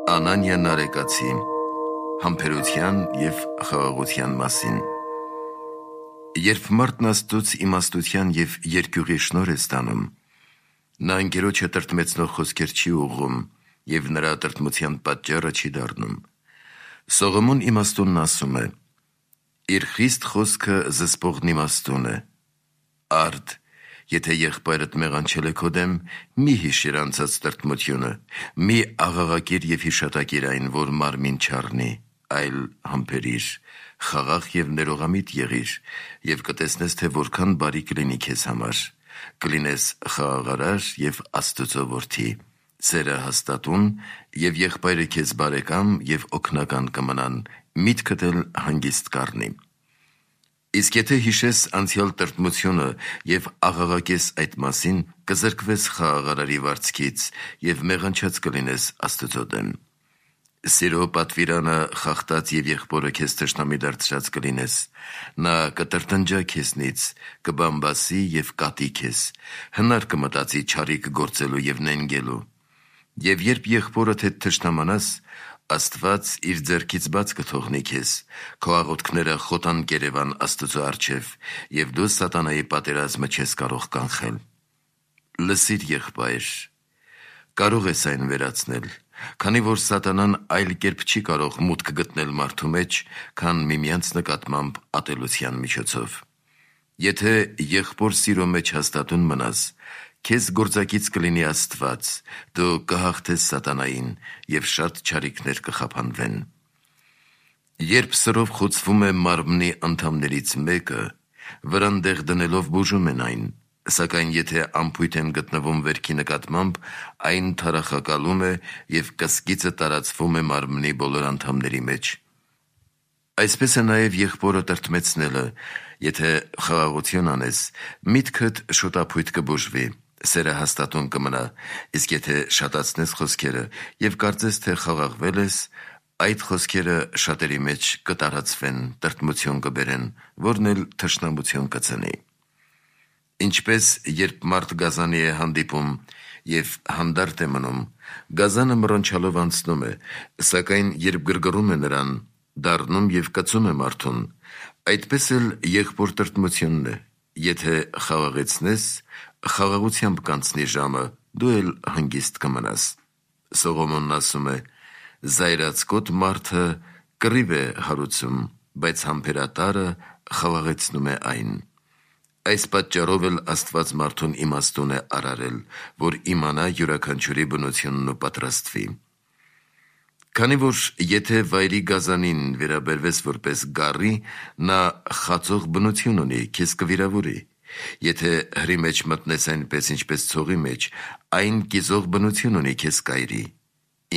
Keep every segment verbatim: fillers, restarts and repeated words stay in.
Անանիա Նարեկացի Համբերության և խաղաղության մասին։ Երբ մարդն Աստծուց իմաստության և երկյուղի շնորհ է ստանում, նա ընկերոջը տրտմեցնող խոսքեր չի ուղղում և նրա տրտմության պատճառը չի դառնում։ Սողոմոն իմաստունն ասում է. «Իր խիստ խոսքը զսպողն իմաստուն է։ Արդ, եթե եղբայրդ մեղանչել է քո դեմ, մի հիշիր անցած տրտմությունը, մի աղաղակիր և հիշատակիր այն, որ մարմին չառնի, այլ համբերիր, խաղաղ և ներողամիտ եղիր, և կտեսնես, թե որքան բարի կլինի քեզ համար, կլինես խաղաղարար և Աստծո որդի, սերը հաստատուն, և եղբայրը քեզ բարեկամ և օգնական կմնան, միտքդ էլ հանգիստ կառնի։ Իսկ եթե հիշես անցյալ տրտմությունը և աղաղակես այդ մասին, կզրկվես խաղաղարարի վարձքից և մեղանչած կլինես Աստծո դեմ։ Սիրո պատվիրանը խախտած և եղբորը քեզ թշնամի դարձրած կլինես, նա կտրտնջա քեզնից, կբամբասի և կատի քեզ, հնար կմտածի չարիք գործելու և նենգելու։ Եվ երբ եղբորդ հետ թշնամանաս, Աստված իր ձեռքից բաց կթողնի քեզ, քո աղոթքները խոտան կերևան Աստծո առջև, և դու սատանայի պատերազմը չես կարող կանխել։ Լսիր, եղբայր, կարող ես այն վերացնել, քանի որ սատանան այլ կերպ չի կարող մուտք գտնել մարդու մեջ, քան միմյանց նկատմամբ ատելության միջոցով։ Եթե եղբոր սիրո մեջ հաստատուն մնաս, քեզ գործակից կլինի Աստված, դու կհաղթես սատանային և շատ չարիքներ կխափանվեն։ Երբ սրով խոցվում է մարմնի անդամներից մեկը, վրան դեղ դնելով բուժում են այն, սակայն եթե անփույթ են գտնվում վերքի նկատմամբ, այն թարախակալում է և կսկիծը տարածվում է մարմնի բոլոր անդամների մեջ։ Այսպես է նաև եղբորը տրտմեցնելը, եթե խաղաղություն անես, միտքդ շուտափույթ կբուժվի, սերը հաստատուն կմնա, իսկ եթե շատացնես խոսքերը և կարծես, թե խաղաղվել ես, այդ խոսքերը շատերի մեջ կտարածվեն, տրտմություն կբերեն, որն էլ թշնամություն կծնի։ Ինչպես երբ մարդ գազանի է հանդիպում և հանդարտ է մնում, գազանը մռնչալով անցնում է, սակայն երբ գրգռում է նրան, դառնում և կծում է մարդուն, այդպես էլ եղբոր տրտմությունն է, եթե խաղաղեցնես, խաղաղությամբ կանցնի ժամը, դու էլ հանգիստ կմնաս։ Սողոմոնն ասում է. «Զայրացկոտ մարդը կռիվ է հարուցում, բայց համբերատարը խաղաղեցնում է այն»։ Այս պատճառով էլ Աստված մարդուն իմաստուն է արարել, որ իմանա յուրաքանչյուրի բնությունն ու պատրաստվի։ Քանի որ եթե վայրի գազանին վերաբերվես որպես գառի, նա խածող բնություն ունի, քեզ կվիրավորի։ Եթե հրի մեջ մտնես այնպես, ինչպես ցողի մեջ, այն կիզող բնություն ունի, քեզ կայրի։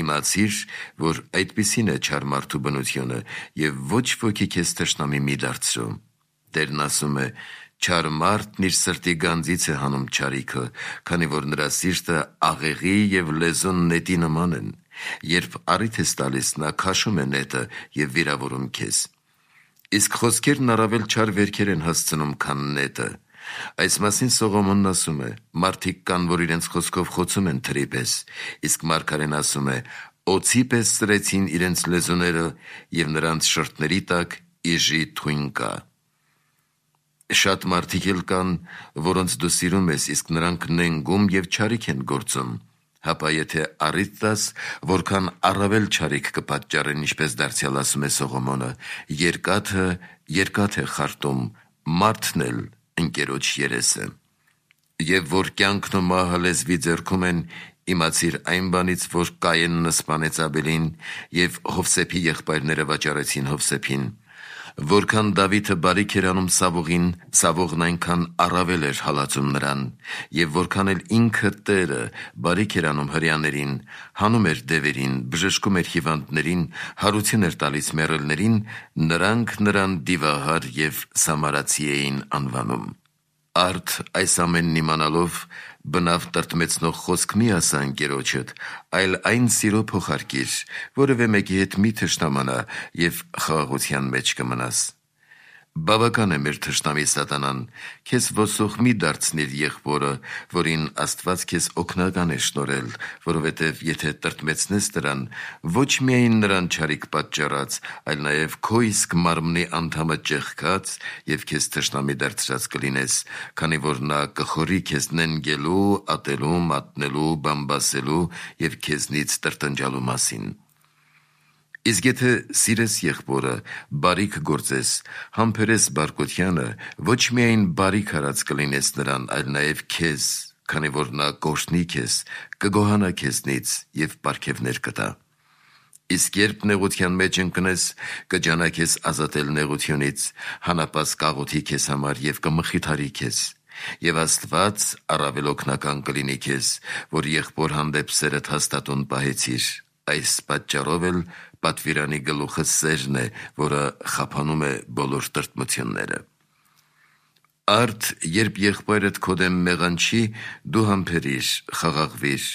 Իմացիր, որ այդպիսին է չար մարդու բնությունը, և ոչ ոքի քեզ թշնամի մի դարձրու։ Տերն ասում է. «Չար մարդն իր սրտի գանձից է հանում չարիքը, քանի որ նրա սիրտը աղեղի և լեզուն նետի նման են. երբ առիթ ես տալիս, նա քաշում է նետը և վիրավորում քեզ»։ Իսկ խոսքերն առավել չար վերքեր են հասցնում, քան նետը։ Այս մասին Սողոմոնն ասում է. «Մարդիկ կան, որ իրենց խոսքով խոցում են թրի պես, իսկ մարգարեն ասում է. օձի պես սրեցին իրենց լեզուները, և նրանց շրթների տակ իժի թույն կա»։ Շատ մարդիկ էլ կան, որոնց դու սիրում ես, իսկ նրանք նենգում և չարիք են գործում, հապա եթե առիթ տաս, որքան առավել չարիք կպատճառեն, ինչպես դարձյալ ասում է Սողոմոնը. «Երկաթը երկաթ է խարտում, մարդն էլ ընկերոջ երեսը»։ Եվ որ կյանքն ու մահը լեզվի ձեռքում են, իմացիր այն բանից, որ Կայենն սպանեց Աբելին, և Հովսեփի եղբայրները վաճառեցին Հովսեփին։ Որքան Դավիթը բարիք էր անում Սավողին, Սավողն այնքան առավել էր հալածում նրան, և որքան էլ ինքը Տերը բարիք էր անում հրեաներին, հանում էր դևերին, բժշկում էր հիվանդներին, հարություն էր տալիս մեռելներին, նրանք նրան դիվահար և սամարացի էին անվանում։ Արդ այս ամենն իմանալով, բնավ տրտմեցնող խոսք մի ասա ընկերոջդ, այլ այն սիրո փոխարկիր, որևէ մեկի հետ մի թշնամանա, և խաղաղության մեջ կմնաս։ Բավական է մեր թշնամի սատանան, քեզ ոսող մի դարձնիր եղբորը, որին Աստված քեզ օգնական է շնորհել, որովհետև եթե տրտմեցնես նրան, ոչ միայն նրան չարիք պատճառած, այլ նաև քո իսկ մարմնի անդամը ճեղքած և քեզ թշնամի դարձրած կլինես, քանի որ նա կխորի քեզ նենգելու, ատելու, մատնելու, բամբասելու և քեզնից տրտնջալու մասին։ Իսկ եթե սիրես եղբորը, բարիք գործես, համբերես բարկությանը, ոչ միայն բարիք արած կլինես նրան, այլ նաև քեզ, քանի որ նա կօրհնի քեզ, կգոհանա քեզնից և պարգևներ կտա։ Իսկ երբ նեղության մեջ ընկնես, կջանա քեզ ազատել նեղությունից, հանապազ կաղոթի քեզ համար և կմխիթարի քեզ։ Եվ Աստված առավել օգնական կլինի քեզ, որ եղբոր հանդեպ սերդ հաստատուն պահեցիր։ Այս պատճառով էլ պատվիրանի գլուխը սերն է, որը խափանում է բոլոր տրտմությունները։ Արդ, երբ եղբայրդ քո դեմ մեղանչի, դու համբերիր, խաղաղվիր,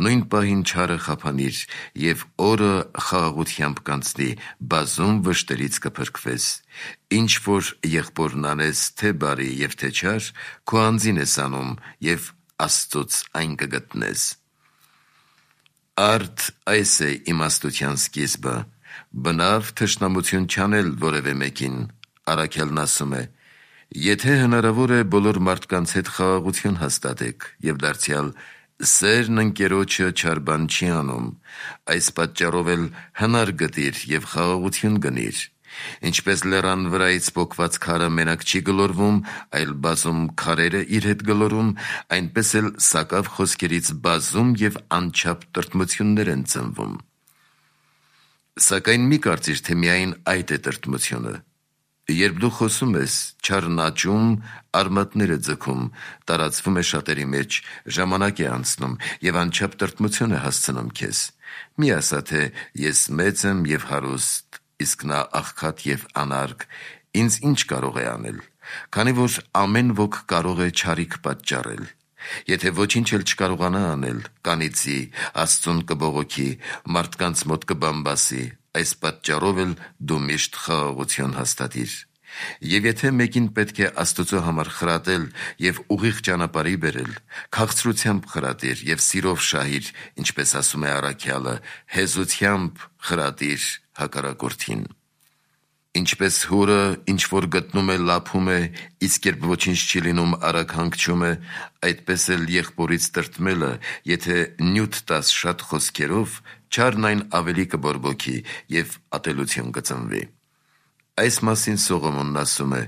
նույն պահին չարը խափանիր և օրը խաղաղությամբ կանցնի, բազում վշտերից կփրկվես։ Ինչ որ եղբորն անես, թե բարի և թե չար, քո անձին ես անում և Աստծուց այն կգտնես։ Արդ, այս է իմաստության սկիզբը, բնավ թշնամություն չանել որևէ մեկին։ Առաքյալն ասում է. «Եթե հնարավոր է, բոլոր մարդկանց հետ խաղաղություն հաստատեք, և դարձյալ սերն ընկերոջը չար բան չի անում, այս պատճառով էլ հնար գտիր և խաղաղություն գնիր։ Ինչպես լեռան վրայից պոկված քարը մենակ չի գլորվում, այլ բազում քարեր է իր հետ գլորում, այնպես էլ սակավ խոսքերից բազում և անչափ տրտմություններ են ծնվում։ Սակայն մի կարծիր, թե միայն այդ է տրտմությունը։ Երբ դու խոսում ես, չարն աճում, արմատներ է ձգում, տարածվում է շատերի մեջ, ժամանակ է անցնում և անչափ տրտմություն է հասցնում քեզ։ Մի ասա, թե ես մեծ եմ և հարուստ, իսկ նա աղքատ և անարգ, ինձ ինչ կարող է անել, քանի որ ամեն ոք կարող է չարիք պատճառել։ Եթե ոչինչ էլ չկարողանա անել, կանիծի, Աստծուն կբողոքի, մարդկանց մոտ կբամբասի, այս պատճառով էլ դու միշտ խաղաղություն հաստատիր։ Եվ եթե մեկին պետք է Աստծո համար խրատել և ուղիղ ճանապարհի բերել, քաղցրությամբ խրատիր և սիրով շահիր, ինչպես ասում է առաքյալը, հեզությամբ խրատիր հակառակորդին։ Ինչպես հորը, ինչ որ գտնում է, լափում է, իսկ երբ ոչինչ չի լինում, արագ հանգչում է, այդպես էլ եղբորից տրտմելը, եթե նյութ տաս շատ խոսքերով, չարն այն ավելի կբորբոքի և ատելություն կծնվի։ Այս մասին Սողոմոնն ասում է.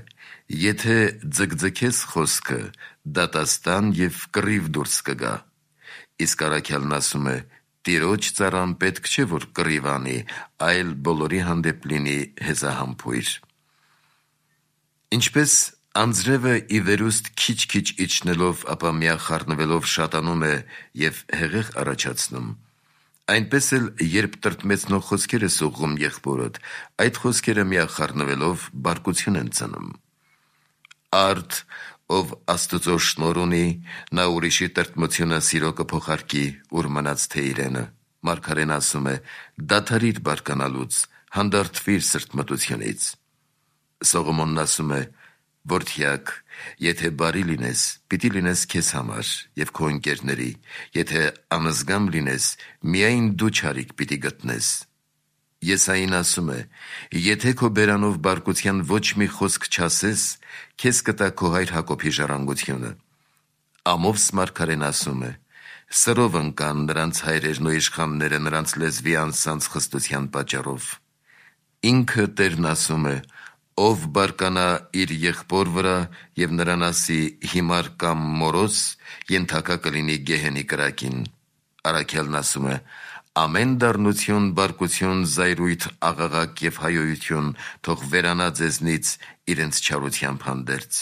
«Եթե ձգձգես խոսքը, դատաստան և կռիվ դուրս կգա»։ Իսկ առաքյալն ասում է. «Տիրոջ ծառան պետք չէ, որ կռիվ անի, այլ բոլորի հանդեպ լինի հեզահամբույր»։ Ինչպես անձրևը ի վերուստ քիչ-քիչ իջնելով, ապա միախառնվելով շատանում է և հեղեղ առաջացնում, այնպես էլ երբ տրտմեցնող խոսքեր ես ուղղում եղբորդ, այդ խոսքերը միախառնվելով բարկություն են ծնում։ Արդ, ով Աստծո շնորհ ունի, նա ուրիշի տրտմությունը սիրո կփոխարկի, ուր մնաց թե իրենը։ Մարգարեն ասում է. «Դադարիր բարկանալուց, հանդարտվիր սրտմտությունից»։ Սողոմոնն ասում է. «Որդյակ, եթե բարի լինես, պիտի լինես քեզ համար և քո ընկերների, եթե անզգամ լինես, միայն դու չարիք պիտի գտնես»։ Եսային ասում է. «Եթե քո բերանով բարկության ոչ մի խոսք չասես, քեզ կտա քո հայր Հակոբի ժառանգությունը»։ Ամովս մարգարեն ասում է. «Սրով ընկան նրանց հայրերն ու իշխանները նրանց լեզվի անսանձ խստության պատճառով»։ Ինքը Տերն ասում է. «Ով բարկանա իր եղբոր վրա և նրան ասի հիմար կամ մորոս, ենթակա կլինի գեհենի կրակին»։ Առաքյալն ասում է. «Ամեն դառնություն, բարկություն, զայրույթ, աղաղակ և հայոյություն թող վերանա ձեզնից իրենց չարությամբ հանդերձ»։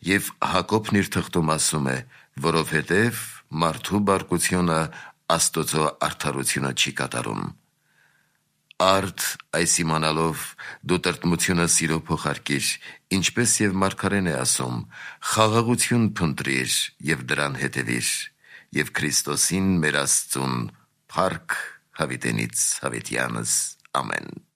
Եվ Հակոբն իր թղթում ասում է. «Որովհետև մարդու բարկությունը Աստծո արդարությունը չի կատարում»։ Արդ, այս իմանալով, դու տրտմությունը սիրո փոխարկիր, ինչպես և մարգարեն է ասում. «Խաղաղություն փնտրիր և դրան հետևիր, և Քրիստոսին մեր Աստծուն փառք հավիտենից հավիտյանս։ Ամեն»։